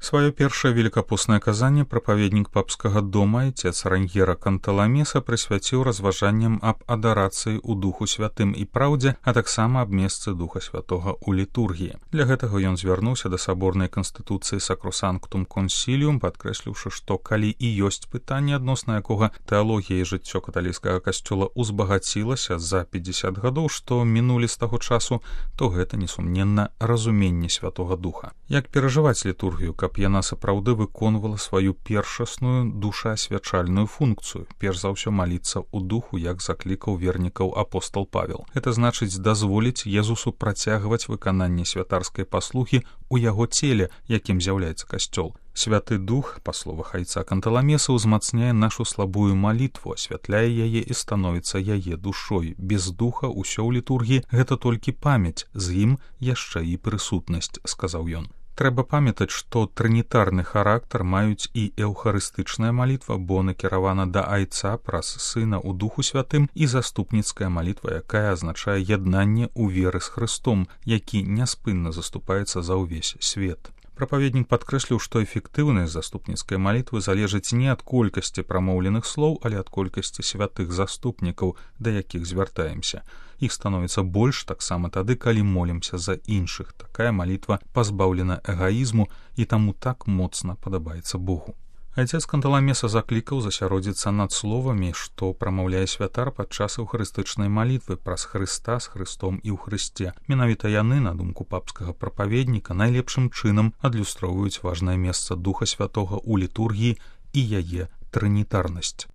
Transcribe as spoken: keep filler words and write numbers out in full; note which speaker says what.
Speaker 1: Сваё першае великапостнае казанне прапаведнік папскага дома отец Раньера Канталамеса прысвяціў разважанням аб адарацыі ў Духу Святым і праўдзе, а таксама аб месцы Духа Святога ў літургіі. Для гэтага ён звярнуўся да саборнай канстытуцыі Sacrosanctum Concilium, падкрэсліўшы, што калі і ёсць пытанне, адносна якога тэалогія і жыццё каталіцкага касцёла узбагацілася за пятьдесят гадоў, што мінулі з таго часу, то гэта несумненна разуменне Святога Духа. Як перажываць літургію, каб яна сапраўды выконвала сваю першасную душаасвячальную функцыю, перш за ўсё маліцца ў духу, як заклікаў вернікаў апостол Павел. Гэта значыць дазволіць Езусу працягваць выкананне святарскай паслугі ў яго целе, якім з'яўляецца касцёл. Святы Дух, па словах айца Канталамеса, узмацняе нашу слабую малітву, асвятляе яе і становіцца яе душой. Без духа ўсё ў літургіі гэта толькі памяць, з ім яшчэ і прысутнасць, сказаў ён. Трэба памятаць, што трынітарны характар маюць і эўхарыстычная малітва, бо накіравана да айца праз сына ў Духу Святым, і заступніцкая малітва, якая азначае яднанне ў веры з Хрыстом, які няспынна заступаецца за ўвесь свет. Прапаведнік падкрэсліў, што эфектыўнасць заступніцкай малітвы залежыць не ад колькасці прамоўленых слоў, але ад колькасці святых заступнікаў, да якіх звяртаемся. Іх становіцца больш таксама тады, калі молімся за іншых. Такая малітва пазбаўлена эгаізму і таму так моцна падабаецца Богу. Айцец Канталамеса заклікаў засяродзіцца над словамі, што прамаўляе святар падчас эўхарыстычнай малітвы праз Хрыста, з Хрыстом і ў Хрысце. Менавіта яны, на думку папскага прапаведніка, найлепшым чынам адлюстроўваюць важнае месца Духа Святога ў літургіі і яе трынітарнасць.